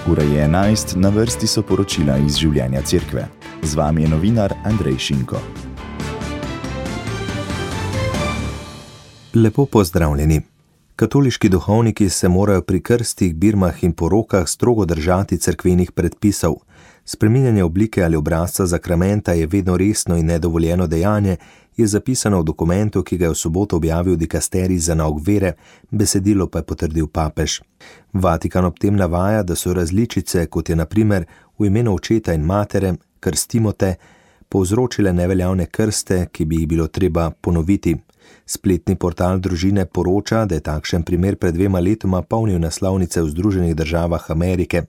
Ura je 11, na vrsti so poročila iz življenja cerkve. Z vami je novinar Andrej Šinko. Lepo pozdravljeni. Katoliški duhovniki se morajo pri krstih, birmah in porokah strogo držati cerkvenih predpisov. Spreminjanje oblike ali obrazca zakramenta je vedno resno in nedovoljeno dejanje, je zapisano v dokumentu, ki ga je v soboto objavil dikasterij za nauk vere, besedilo pa je potrdil papež. Vatikan ob tem navaja, da so različice, kot je na primer v imenu očeta in matere, krstimo te, povzročile neveljavne krste, ki bi jih bilo treba ponoviti. Spletni portal družine poroča, da je takšen primer pred 2 letoma polnil naslovnice v Združenih državah Amerike.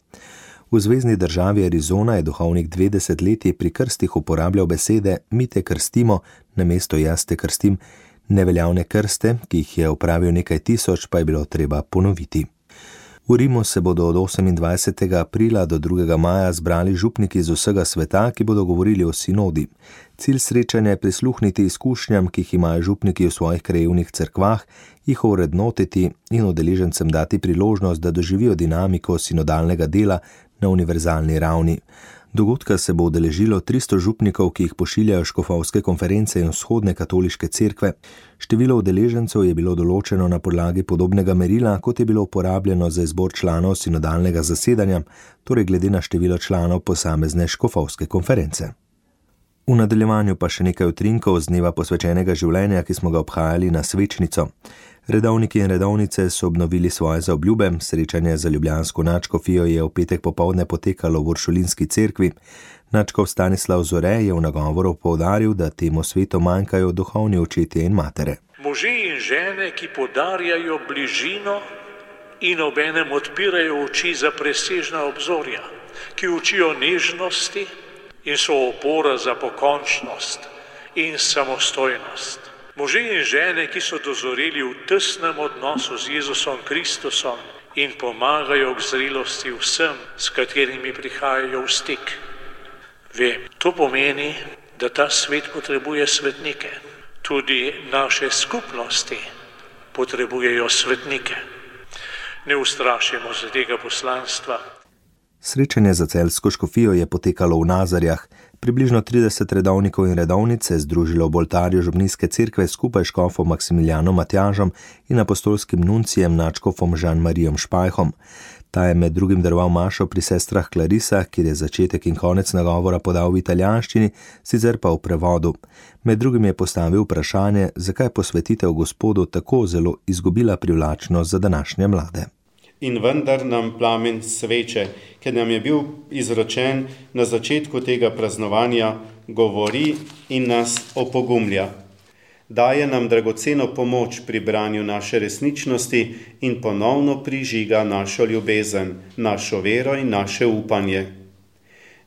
V zvezni državi Arizona je duhovnik 2 desetletji pri krstih uporabljal besede mi te krstimo, namesto jaz te krstim. Neveljavne krste, ki jih je opravil nekaj tisoč, pa je bilo treba ponoviti. V Rimu se bodo od 28. aprila do 2. maja zbrali župniki iz vsega sveta, ki bodo govorili o sinodi. Cilj srečanja je prisluhniti izkušnjam, ki jih imajo župniki v svojih krajevnih cerkvah, jih ovrednotiti in udeležencem dati priložnost, da doživijo dinamiko sinodalnega dela na univerzalni ravni. Dogodka se bo udeležilo 300 župnikov, ki jih pošiljajo škofovske konference in vzhodne katoliške cerkve. Število udeležencev je bilo določeno na podlagi podobnega merila, kot je bilo uporabljeno za izbor članov sinodalnega zasedanja, torej glede na število članov posamezne škofovske konference. V nadaljevanju pa še nekaj utrinkov z dneva posvečenega življenja, ki smo ga obhajali na svečnico. Redovniki in redovnice so obnovili svoje zaobljube, srečanje za ljubljansko nadškofijo je v petek popoldne potekalo v Uršulinski cerkvi. Nadškof Stanislav Zore je v nagovoru poudaril, da temu svetu manjkajo duhovni očetje in matere. Možje in žene, ki podarjajo bližino in obenem odpirajo oči za presežna obzorja, ki učijo nežnosti in so opora za pokončnost in samostojnost. Možje in žene, ki so dozoreli v tesnem odnosu z Jezusom Kristusom in pomagajo k zrelosti vsem, s katerimi prihajajo v stik. Vem, to pomeni, da ta svet potrebuje svetnike. Tudi naše skupnosti potrebujejo svetnike. Ne ustrašimo se tega poslanstva. Srečanje za celjsko škofijo je potekalo v Nazarjah. Približno 30 redovnikov in redovnic se je združilo v oltarju Župnijske cerkve skupaj s škofom Maksimilijanom Matjažem in apostolskim nuncijem nadškofom Žan-Marijom Špajhom. Ta je med drugim daroval mašo pri sestrah Klarisah, kjer je začetek in konec nagovora podal v italijanščini, sicer pa v prevodu. Med drugim je postavil vprašanje, zakaj posvetitev Gospodu tako zelo izgubila privlačnost za današnje mlade. In vendar nam plamen sveče, ki nam je bil izročen na začetku tega praznovanja, govori in nas opogumlja. Daje nam dragoceno pomoč pri branju naše resničnosti in ponovno prižiga našo ljubezen, našo vero in naše upanje.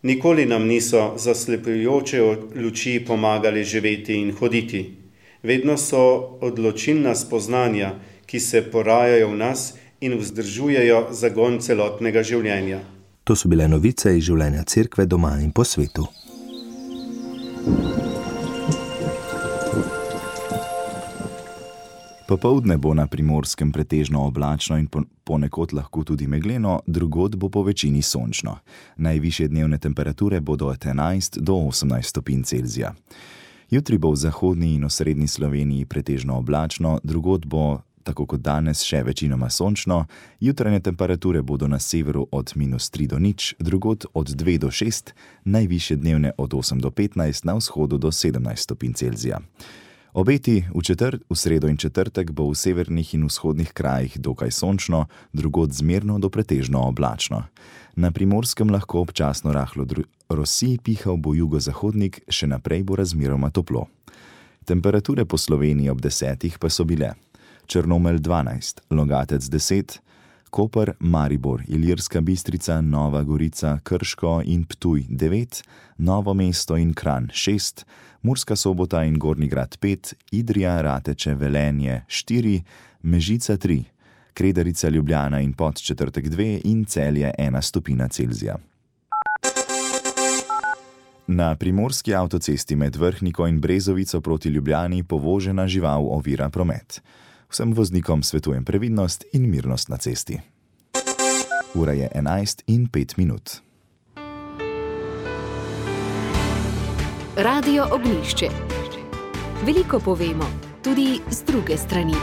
Nikoli nam niso zaslepljujoče luči pomagali živeti in hoditi. Vedno so odločilna spoznanja, ki se porajajo v nas in vzdržujejo zagon celotnega življenja. To so bile novice iz življenja cerkve doma in po svetu. Popoldne bo na Primorskem pretežno oblačno in ponekod lahko tudi megleno, drugod bo po večini sončno. Najvišje dnevne temperature bodo od 11 do 18 stopinj Celzija. Jutri bo v zahodni in osrednji Sloveniji pretežno oblačno, drugod bo tako kot danes še večinoma sončno, jutranje temperature bodo na severu od -3 do 0, drugod od 2 do 6, najvišje dnevne od 8 do 15, na vzhodu do 17 stopinj Celzija. Obeti v sredo in četrtek bo v severnih in vzhodnih krajih dokaj sončno, drugod zmerno do pretežno oblačno. Na Primorskem lahko občasno rahlo rosi, pihal bo jugozahodnik, še naprej bo razmeroma toplo. Temperature po Sloveniji ob 10 pa so bile: Črnomelj 12, Logatec 10, Koper, Maribor, Ilirska Bistrica, Nova Gorica, Krško in Ptuj 9, Novo mesto in Kranj 6, Murska Sobota in Gornji Grad 5, Idrija, Rateče, Velenje 4, Mežica 3, Kredarica, Ljubljana in Podčetrtek 2 in Celje 1 stopinja Celzija. Na primorski avtocesti med Vrhniko in Brezovico proti Ljubljani povožena žival ovira promet. Vsem voznikom svetujem previdnost in mirnost na cesti. Ura je 11:05. Radio Ognjišče. Veliko povemo, tudi z druge strani.